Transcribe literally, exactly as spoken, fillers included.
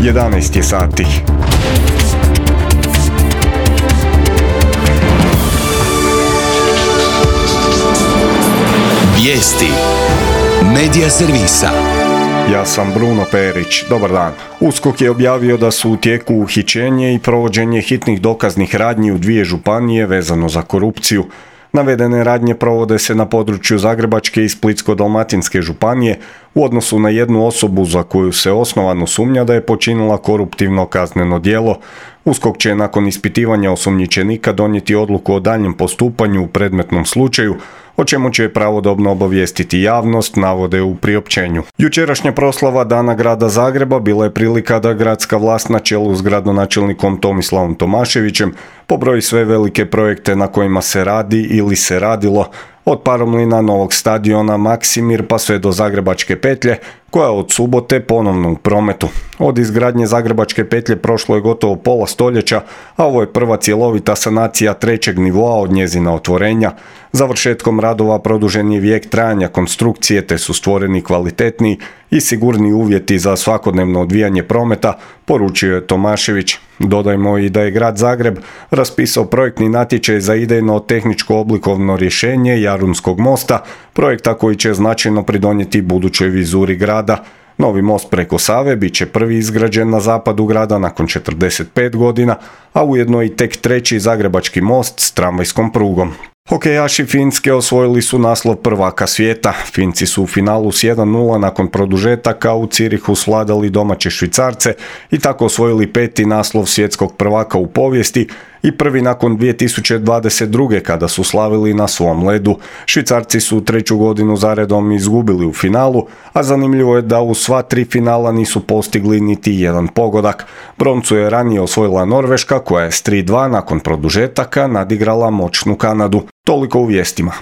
jedanaest je sati. Vijesti Medija servisa. Ja sam Bruno Perić. Dobar dan. USKOK je objavio da su u tijeku uhićenje i provođenje hitnih dokaznih radnji u dvije županije vezano za korupciju. Navedene radnje provode se na području Zagrebačke i Splitsko-dalmatinske županije u odnosu na jednu osobu za koju se osnovano sumnja da je počinila koruptivno kazneno djelo. USKOK će nakon ispitivanja osumnjičenika donijeti odluku o daljnjem postupanju u predmetnom slučaju, o čemu će pravodobno obavijestiti javnost, navode u priopćenju. Jučerašnja proslava Dana grada Zagreba bila je prilika da gradska vlast na čelu s gradonačelnikom Tomislavom Tomaševićem pobroji sve velike projekte na kojima se radi ili se radilo, od paromlina, novog stadiona Maksimir pa sve do Zagrebačke petlje, koja od subote ponovno u prometu. Od izgradnje Zagrebačke petlje prošlo je gotovo pola stoljeća, a ovo je prva cjelovita sanacija trećeg nivoa od njezina otvorenja. Završetkom radova produžen je vijek trajanja konstrukcije, te su stvoreni kvalitetniji i sigurni uvjeti za svakodnevno odvijanje prometa, poručio je Tomašević. Dodajmo i da je grad Zagreb raspisao projektni natječaj za idejno tehničko oblikovno rješenje Jarunskog mosta, projekta koji će značajno pridonijeti budućoj vizuri grada. Novi most preko Save bit će prvi izgrađen na zapadu grada nakon četrdeset pet godina, a ujedno i tek treći zagrebački most s tramvajskom prugom. Hokejaši Finske osvojili su naslov prvaka svijeta. Finci su u finalu s jedan nula nakon produžetaka u Zürichu svladali domaće Švicarce i tako osvojili peti naslov svjetskog prvaka u povijesti i prvi nakon dvije tisuće dvadeset druge kada su slavili na svom ledu. Švicarci su treću godinu zaredom izgubili u finalu, a zanimljivo je da u sva tri finala nisu postigli niti jedan pogodak. Broncu je ranije osvojila Norveška koja je s tri dva nakon produžetaka nadigrala moćnu Kanadu. Toliko u vijestima.